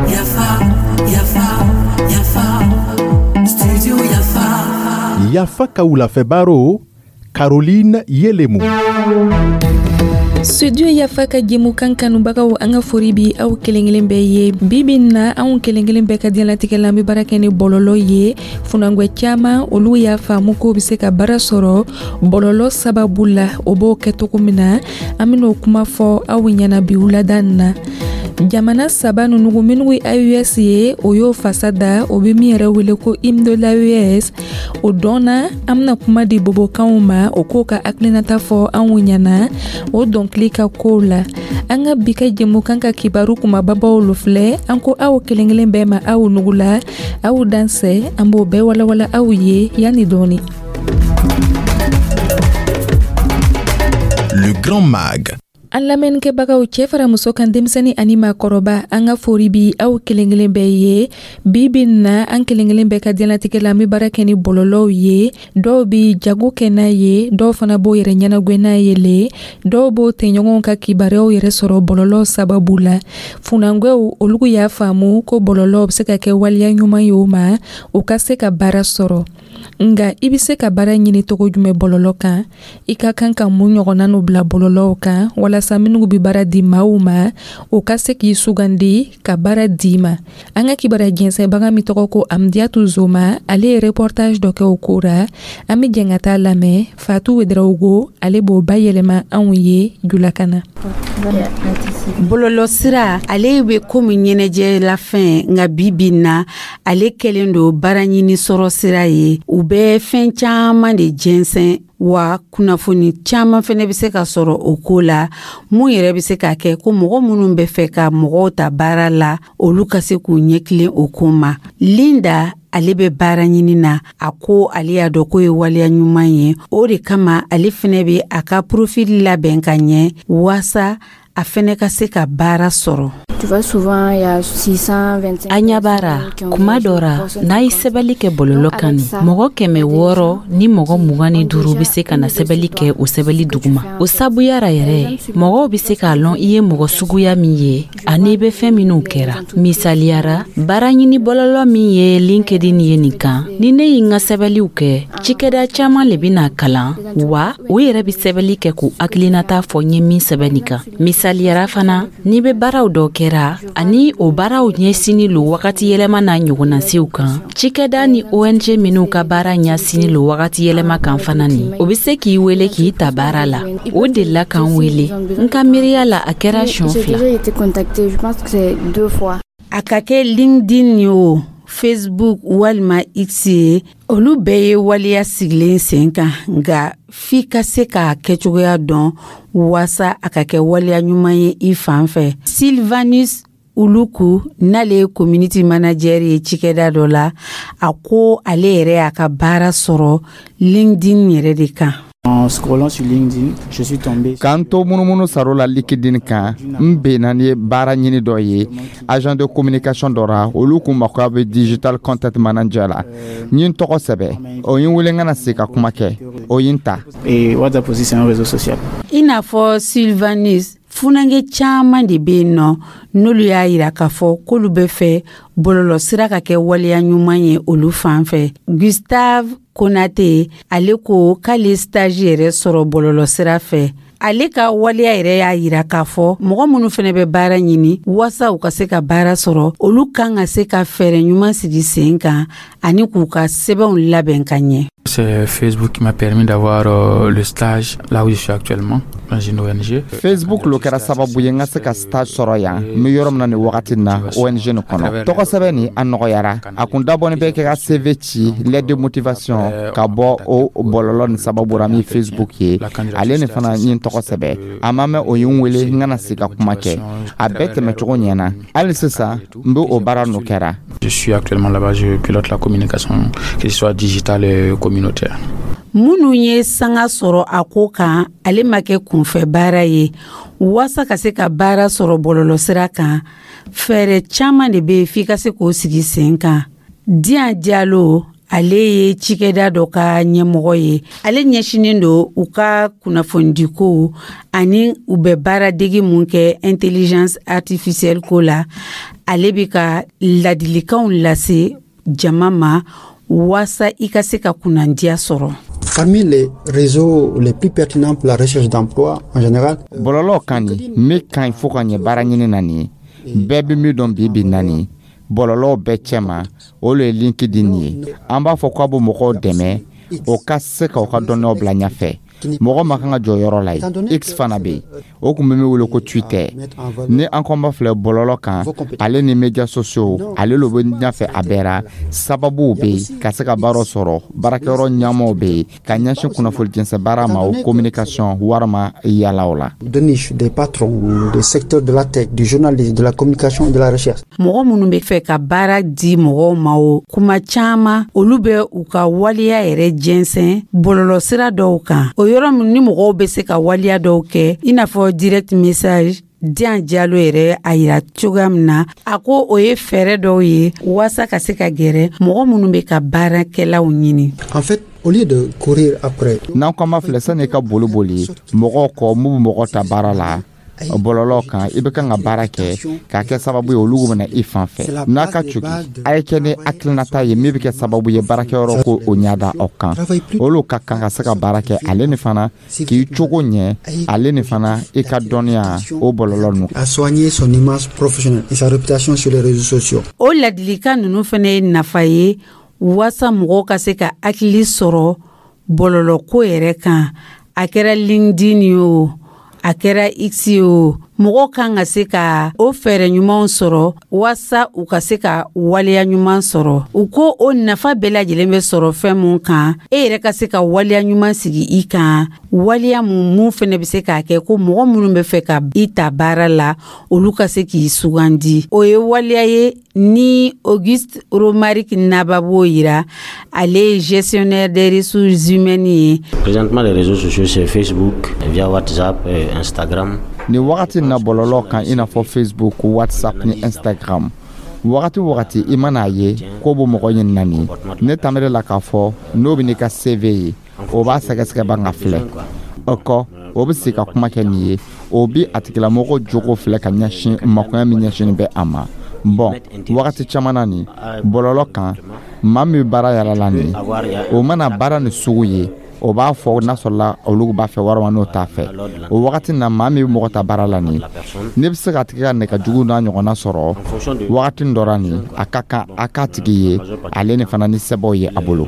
Yafa, Yafa, Yafa, Studio Yafa. Yafa ka wulafɛ baro, Caroline Yelemu. Studio Yafa ka jɛmukan kanubagaw, an ka fori bi aw kelen kelen bɛɛ ye. Bi bi na, anw kelen kelen bɛɛ ka diɲɛlatigɛ la, an bɛ baara kɛ ni bɔlɔlɔ ye. Funangwɛ caman, olu y'a faamu k'o bɛ se ka baara sɔrɔ bɔlɔlɔ sababu la. O b'o kɛ cogo min na, an ben'o kuma fɔ aw ɲɛna bi wulada na. Jamana saba nunu minnu ye AES ye, o y'o fasa da, o bɛ min yɛrɛ wele ko hymne de l'AES, o dɔnna. An bɛna kuma di bobokanw ma, o k'o ka hakilinata fɔ anw ɲɛna o dɔnkili ka kow la. An ka bi ka jɛmukan ka kibaru kumababaw lo filɛ. An ko aw kelen kelen bɛɛ ma, aw nugula, aw dansɛ. An b'o bɛɛ walawala aw ye yanni dɔɔni. Le Grand Mag. An lamɛnnikɛbagaw, cɛɛ fara muso kan, denmisɛni ani maakɔrɔba, an ka fori bi aw kelen kelen bɛɛ ye. Bi bi na, an kelen kelen bɛɛ ka diɲɛlatigɛ la, an be baara kɛ ni bɔlɔlɔw ye. Dɔw bi jago kɛ n'a ye, dɔw fana b'o yɛrɛ ɲɛnagwɛ n'a ye le, dɔw b'o tɛɲɔgɔnw ka kibaruyaw yɛrɛ sɔrɔ bɔlɔlɔw sababu la. Funangwɛw, olugu y'a faamu ko bɔlɔlɔw be se ka kɛ waleya ɲuman ye o ma, u ka se ka baara sɔrɔ. Nga i be se ka baara ɲini togo jumɛn bɔlɔlɔ kan? I ka kan ka mun ɲɔgɔnna n'o bila bɔlɔlɔw kan walasa minnu be baara di maaw ma, o ka se k'i sugandi ka baara di ma? An ka kibaruya jɛnsɛnbaga min tɔgɔ ko Amdiatu Zoma, ale ye reportage dɔ kɛ o ko ra. An be jɛn ka taa lamɛn. Fatu Wederawogo, ale b'o bayɛlɛma anw ye julakan na. Bɔlɔlɔsira, ale bɛ komi ɲɛnajɛlafɛn, nka bi bi na, ale kɛlen don baara ɲini sɔrɔ sira ye. U bɛ fɛn caman de jɛnsɛn wa, kunnafoni caman fɛnɛ bɛ se ka sɔrɔ o ko la, mun yɛrɛ bɛ se ka kɛ ko mɔgɔ minnu bɛ fɛ ka mɔgɔw ta baara la, olu ka se k'u ɲɛtilen o ko ma. Linda, ale bɛ baara ɲini na. A ko ale y'a dɔn k'o ye waleya ɲuman ye, o de kama ale fɛnɛ bɛ a ka profil labɛn ka ɲɛ waasa a fɛnɛ ka se ka baara sɔrɔ. Tu vois, souvent, il y a 625 An ɲɛ b'a ra, kuma dɔ ra, n'a ye sɛbɛli kɛ bɔlɔlɔ kan, nin mɔgɔ 625 bɛ se ka na sɛbɛli kɛ o sɛbɛli duguma. O sabuya ra yɛrɛ, mɔgɔw bɛ se k'a lɔn i ye mɔgɔ suguya min ye ani i bɛ fɛn minw kɛra. Misaliya ra, baara ɲini bɔlɔlɔ min ye LinkedIn ye nin kan, ni ne ye n ka sɛbɛliw kɛ, cikɛda caaman le bɛna kalan wa, o yɛrɛ bɛ sɛbɛli kɛ k'u hakilinata fɔ n ye min sɛbɛn nin kan. Misaliyara fana, n'i bɛ baaraw dɔ kɛra ani o baaraw ɲɛsini lo wagati yɛlɛma n'a ɲɔgɔnnasiw kan, cikɛda ni ONG minw ka baara ɲɛsini lo wagati yɛlɛma kan fana nin, o be se k'i wele k'i ta baara la. O delila k'an wele, n ka miiriya la, a kɛra siɲɛ J'ai 2. déjà été contactée, je pense que c'est deux fois. A ka kɛ LinkedIn ye o, Facebook walima X ye, olu bɛɛ ye waleya sigilen sen kan, nka f'i ka se k'a kɛcogoya dɔn waasa a ka kɛ waleya ɲuman ye i fan fɛ. Sylvanus Uluku, n'ale ye community manager ye cikɛda dɔ la, a ko ale yɛrɛ y'a ka baara sɔrɔ LinkedIn yɛrɛ de kan. En scrollant sur LinkedIn, je suis tombé K'an to munumunu saro la LinkedIn kan, n benna ni baara ɲini dɔ ye, agent de communication dɔ ra. Olu kun mako bɛ digital content manager la. N ye n tɔgɔ sɛbɛ, o ye n wele n kana se ka kuma kɛ, o ye n ta. Et WhatsApp aussi, c'est un réseau social. I n'a fɔ Sylvanus, funankɛ caman de bɛ yen nɔ, n'olu y'a yira k'a fɔ k'olu bɛ fɛ bɔlɔlɔsira ka kɛ waleya ɲuman ye olu fan fɛ. Gustave Konate, ale ko k'ale stage yɛrɛ sɔrɔ bɔlɔlɔsira fɛ. Ale ka waleya yɛrɛ y'a yira k'a fɔ mɔgɔ minnu fɛnɛ bɛ baara ɲini, waasa u ka se ka baara sɔrɔ, olu kan ka se ka fɛɛrɛ ɲuman sigi sen kan ani k'u ka sɛbɛnw labɛn ka ɲɛ. C'est Facebook qui m'a permis d'avoir le stage là où je suis actuellement, dans une ONG. Facebook lo kɛra sababu ye n ka se ka stage sɔrɔ yan, n bɛ yɔrɔ min na nin wagati na, ONG nin kɔnɔ. Tɔgɔ sɛbɛn nin, a nɔgɔyara. A kun dabɔni bɛ kɛ ka CV ci, lettre de motivation, ka bɔ o bɔlɔlɔ nin sababu ra min Facebook ye. Ale nin fana, n ye n tɔgɔ sɛbɛ, a ma mɛn, o ye n wele n kana se ka kuma kɛ. A bɛɛ tɛmɛcogo ɲɛna. Hali sisan, n bɛ o baara n'o kɛra. Je suis actuellement là-bas, je pilote la communication, que ce soit digitale et communautaire. Minnu ye sanga sɔrɔ a ko kan, ale ma kɛ kunfɛ baara ye. Waasa ka se ka baara sɔrɔ bɔlɔlɔsira kan, fɛɛrɛ caman de bɛ yen f'i ka se k'o sigi sen kan. Diyan Jalo, Ale ye cikɛda dɔ ka ɲɛmɔgɔ ye. Ale ɲɛsinnen don u ka kunnafonidiko ani u bɛ baaradege mun kɛ intelligence artificielle ko la. Ale bɛ ka ladilikanw lase jama ma waasa i ka se ka kunnandiya sɔrɔ. Parmi les réseaux les plus pertinents pour la recherche d'emploi en général, Bɔlɔlɔ kan nin min ka ɲi fo ka ɲɛ baara ɲini na nin ye, bɛɛ bɛ min dɔn bi bi na nin bɔlɔlɔw bɛɛ cɛma, o le ye LinkedIn ye. An b'a fɔ k'a bɛ mɔgɔw dɛmɛ o ka se ka u ka dɔnniyaw bila ɲɛfɛ. Mɔgɔ ma kan ka jɔ yɔrɔ la yen. X fana bɛ yen, o tun bɛ min wele ko Twitter. Ni an ko an b'a filɛ bɔlɔlɔ kan, ale ni médias sociaux, ale lo bɛ ɲɛfɛ a bɛɛ ra. Sababuw bɛ yen ka se ka baaraw sɔrɔ, baarakɛyɔrɔ ɲɛmaw bɛ yen ka ɲɛsin kunnafoni jɛnsɛn baara ma, o communication walima yalaw la. De niche, des patrons, des secteurs de la tech, du journalisme, de la communication et de la recherche. Mɔgɔ minnu bɛ fɛ ka baara di mɔgɔw ma, o kuma caman, olu bɛ u ka waleya yɛrɛ jɛnsɛn bɔlɔlɔsira dɔw kan, o yɔrɔ min ni mɔgɔw bɛ se ka waleya dɔw kɛ, i n'a fɔ direct message. Dian Jalo yɛrɛ a yira cogoya min na, a ko o ye fɛɛrɛ dɔw ye waasa ka se ka gɛrɛ mɔgɔ minnu bɛ ka baarakɛlaw ɲini. En fait, au lieu de courir après, N'an ko an b'a filɛ, sani i ka boli boli mɔgɔw kɔ mun bɛ mɔgɔ ta baara la bɔlɔlɔ kan, i bɛ kan ka baara kɛ k'a kɛ sababu ye olu bɛna i fan fɛ. N'a ka cogi, a ye kɛ ni hakilinata ye min bɛ kɛ sababu ye baarakɛyɔrɔ ko o ɲɛ da aw kan. Olu ka kan ka se ka baara kɛ, ale ni fana k'i cogo ɲɛ, ale ni fana i ka dɔnniya o bɔlɔlɔ ninnu. À soigner son image professionnelle et sa réputation sur les réseaux sociaux. O ladilikan ninnu fana ye nafa ye waasa mɔgɔw ka se ka hakili sɔrɔ bɔlɔlɔko yɛrɛ kan. A kɛra LinkedIn ye o, a kɛra X ye o, mɔgɔw kan ka se ka o fɛɛrɛ ɲumanw sɔrɔ waasa u ka se ka waleya ɲuman sɔrɔ. U ko o nafa bɛɛ lajɛlen bɛ sɔrɔ fɛn mun kan, e yɛrɛ ka se ka waleya ɲuman sigi i kan, waleya mun fɛnɛ bɛ se k'a kɛ ko mɔgɔ minnu bɛ fɛ ka i ta baara la, olu ka se k'i sugandi. O ye waleya ye ni Auguste Romaric Naba b'o yira. Ale ye gestionnaire des ressources humaines ye. Présentement, les réseaux sociaux, c'est Facebook, via WhatsApp, et Instagram. Nin wagati na, bɔlɔlɔ kan, i n'a fɔ Facebook, WhatsApp ni Instagram, wagati o wagati i man'a ye ko bɛ mɔgɔ ɲinina nin, ne tamere la k'a fɔ n'o bɛ n'i ka CV ye, o b'a sɛgɛsɛgɛ ban ka filɛ. O kɔ, o bɛ sigi ka kuma kɛ nin ye, o bi a tigilamɔgɔ jogo filɛ ka ɲɛsin makoya min ɲɛsinnen bɛ a ma. Bɔn, wagati caman na nin bɔlɔlɔ kan, maa min bɛ baara yala la nin, o mana baara nin sugu ye, o b'a fɔ n'a sɔrɔla olu b'a fɛ walima n'o t'a fɛ. O wagati na, maa min bɛ mɔgɔ ta baara la nin, ne bɛ se k'a tigi ka nɛgɛjugu n'a ɲɔgɔnna sɔrɔ wagati dɔ la nin, a ka kan a k'a tigi ye, ale ni fana ni sɛbɛnw ye a bolo.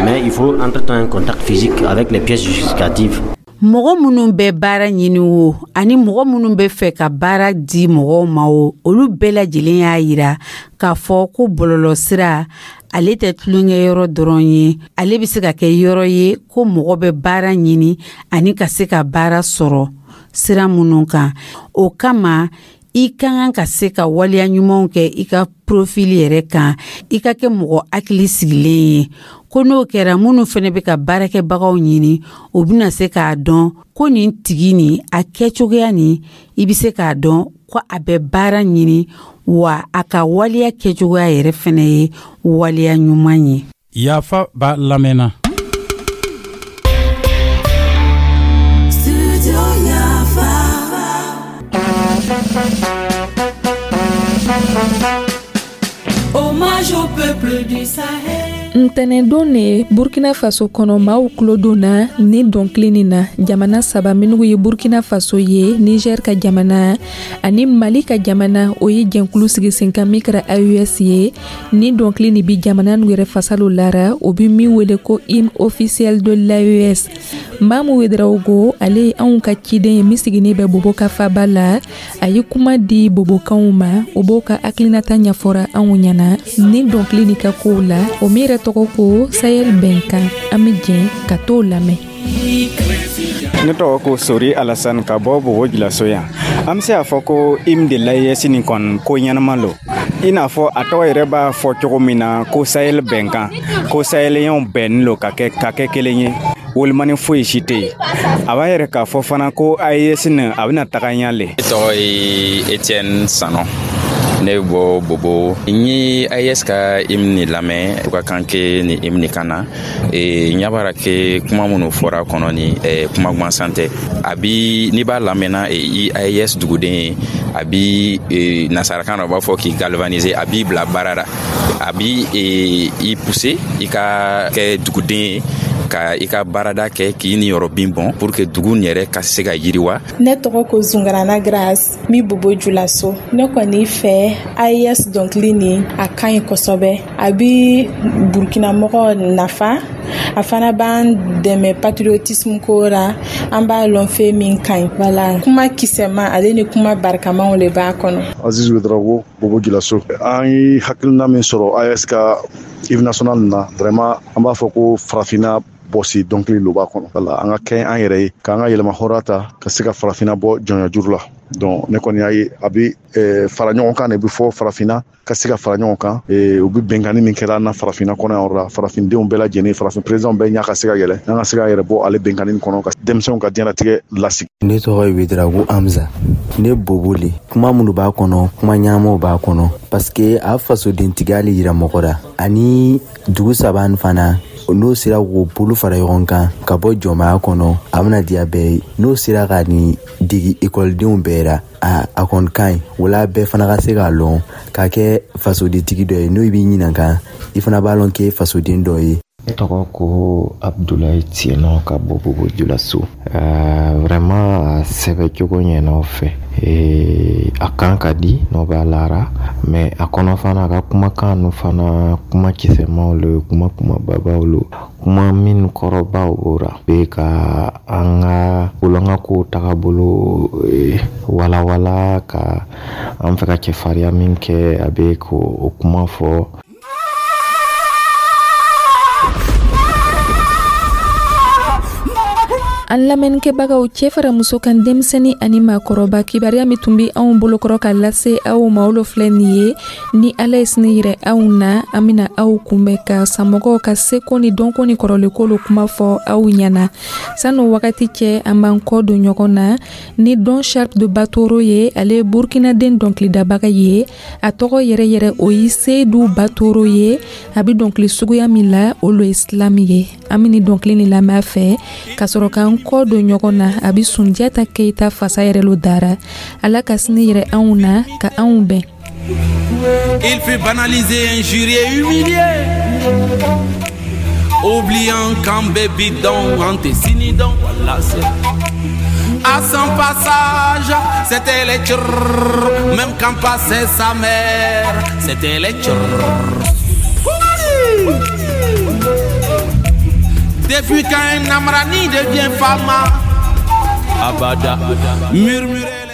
Mais il faut entre-temps un contact physique avec les pièces justificatives. Mɔgɔ minnu bɛ baara ɲini o, ani mɔgɔ minnu bɛ fɛ ka baara di mɔgɔw ma o, olu bɛɛ lajɛlen y'a yira k'a fɔ ko bɔlɔlɔsira, ale tɛ tulonkɛyɔrɔ dɔrɔn ye. Ale bɛ se ka kɛ yɔrɔ ye ko mɔgɔ bɛ baara ɲini ani ka se ka baara sɔrɔ sira minnu kan. O kama, i ka kan ka se ka waleya ɲumanw kɛ i ka profil yɛrɛ kan, i ka kɛ mɔgɔ hakili sigilen ye, ko n'o kɛra, minnu fɛnɛ bɛ ka baarakɛbagaw ɲini, o bɛna se k'a dɔn ko nin tigi nin, a kɛcogoya nin, i bɛ se k'a dɔn ko a bɛ baara ɲini, wa a ka waleya kɛcogoya yɛrɛ fɛnɛ ye waleya ɲuman ye. Yafa b'a lamɛnna. Studio Yafa. Hommage au peuple du Sahel. Ntɛnɛndon ne, Burkina Faso kɔnɔ, maaw tulo donna ni dɔnkili nin na. Jamana saba minnu ye Burkina Faso ye, Niger ka jamana ani Mali ka jamana, o ye jɛnkulu sigi sen kan min kɛra AES ye. Ni dɔnkili nin bi jamana nu yɛrɛ fasalo lara, o bi min wele ko hymne officiel de l'AES. Mamu Wedraogo, ale ye anw ka ciden ye min siginin bɛ Bobo ka faba la, a ye kuma di bobokanw ma. O b'o ka hakilinata ɲɛfɔra anw ɲɛna ni dɔnkili nin ka kow la, o min yɛrɛ tɔgɔ ko Sahel bɛnkan. An bɛ jɛn ka t'o lamɛn. Ne tɔgɔ ko Sori Alassane ka bɔ Bobo Julaso yan. An bɛ se k'a fɔ ko hymne de l'AES nin kɔni, ko ɲɛnama lo, i n'a fɔ a tɔgɔ yɛrɛ b'a fɔ cogo min na ko Sahel bɛnkan, ko sahelienw bɛnnin lo ka kɛ kelen ye, wolimani foyi si tɛ yen. A b'a yɛrɛ k'a fɔ fana ko AES nin, a bɛna taga ɲɛ le. Ne tɔgɔ ye Etienne Sano. Ne bɔ Bobo. N ye AES ka hymne ni lamɛn u ka kan ke ni hymne kan na. E, ɲa b'a ke kuma minnu fɔra kɔnɔ ni kuma gansan tɛ. A bi n'i b'a lamɛnna i AES duguden ye, a bi nasarakan na u b'a fɔ k'i galvaniser, a b'i bila baara la, a bi i pousser i ka kɛ duguden ye, ka i ka baarada kɛ k'i niyɔrɔ bin bɔn pour que dugu yɛrɛ ka se ka yiriwa. Ne tɔgɔ ko Zungarana Grace, n bi Bobo Julaso. Ne kɔni fɛ, AES dɔnkili nin, a ka ɲi kosɛbɛ. A bi Burkinamɔgɔ nafa, a fana b'an dɛmɛ patriotisme ko ra. An b'a lɔn fɛn min ka ɲi, wala kuma kisɛma ale ni kuma barikamaw le b'a kɔnɔ. Aziz Ouedraogo, Bobo Julaso. An ye hakilina min sɔrɔ AES ka hymne national na, vraiment an b'a fɔ ko farafinna bɔsi dɔnkili lo b'a kɔnɔ. Wala an ka kɛ an yɛrɛ ye, k'an ka yɛlɛma hɔrɔnya ta, ka se ka farafinna bɔ jɔnya juru la. Donc ne kɔni y'a ye, a bɛ fara ɲɔgɔn kan de bɛ fɔ, farafinna ka se ka fara ɲɔgɔn kan. U bɛ bɛnkanni min kɛra an na farafinna kɔnɔ yan yɔrɔ la, farafindenw bɛɛ lajɛlen, farafin président bɛɛ ɲɛ ka se ka yɛlɛ, an ka se ka yɛrɛ bɔ ale bɛnkanni kɔnɔ, ka denmisɛnw ka diɲɛlatigɛ lasigi. Ne tɔgɔ ye Ouedraogo Hamza, ne Bobo le. Kuma minnu b'a kɔnɔ, kuma ɲɛnamaw b'a kɔnɔ, parce que a fasodentigiya le yira mɔgɔ la. Ani dugu saba nin fana, n'o sera k'o bolo fara ɲɔgɔn kan ka bɔ jɔnmaya kɔnɔ, a bɛna diya bɛɛ ye. N'o sera ka nin degi ekɔlidenw bɛɛ ra, a kɔni ka ɲi. Wala bɛɛ fana ka se k'a lɔn k'a kɛ fasodentigi dɔ ye. N'o b'i ɲinan kan, i fana b'a lɔn k'e fasoden dɔ ye. Ne tɔgɔ ko Abdulayi Tienɔ, ka bɔ Bobo Julaso. Vraiment a sɛbɛ cogo ɲɛna o fɛ. A kan ka di n'o b'a lara, mais a kɔnɔ fana, a ka kumakan nu fana, kuma kisɛmaw lo, kuma kumababaw lo, kuma minnu kɔrɔbaw b'o ra be ka an ka an ka kow tagabolo walawala, ka an fɛ ka cɛfariya min kɛ, a bɛ k'o kuma fɔ. An lamɛnnikɛbagaw, cɛɛ fara muso kan, denmisɛni ani maakɔrɔba, kibaruya min tun be anw bolokɔrɔ ka lase aw ma, olu filɛ nin ye. Ni Ala ye sini yirɛ anw na, an bena aw kunbɛn ka samɔgɔw ka seko ni dɔnko ni kɔrɔlenko kuma fɔ aw ɲɛna. San'o wagati cɛ, an b'an kɔ don ɲɔgɔn na ni Don Sharp de Batoro ye. Ale ye Burkinaden dɔnkilidabaga ye. A tɔgɔ yɛrɛ yɛrɛ, o ye Seydou Batoro ye. A be dɔnkili suguya min la, o lo ye slam ye. An be ni dɔnkili ni lamɛn a fɛ ka sɔrɔ k'an kɔ don ɲɔgɔn na. A be Sunjata Keyita fasa yɛrɛ lo dara. Ala ka sini yɛrɛ anw na, ka anw bɛn. Il fut banalisé, injurié, humilié, oubliant qu'en bébidon, antécinidon, voilà c'est. À son passage, c'était les tchrrr. Même quand passait sa mère, c'était les tchrrr. Depuis qu'un Amrani devient fama, Abada, murmurait.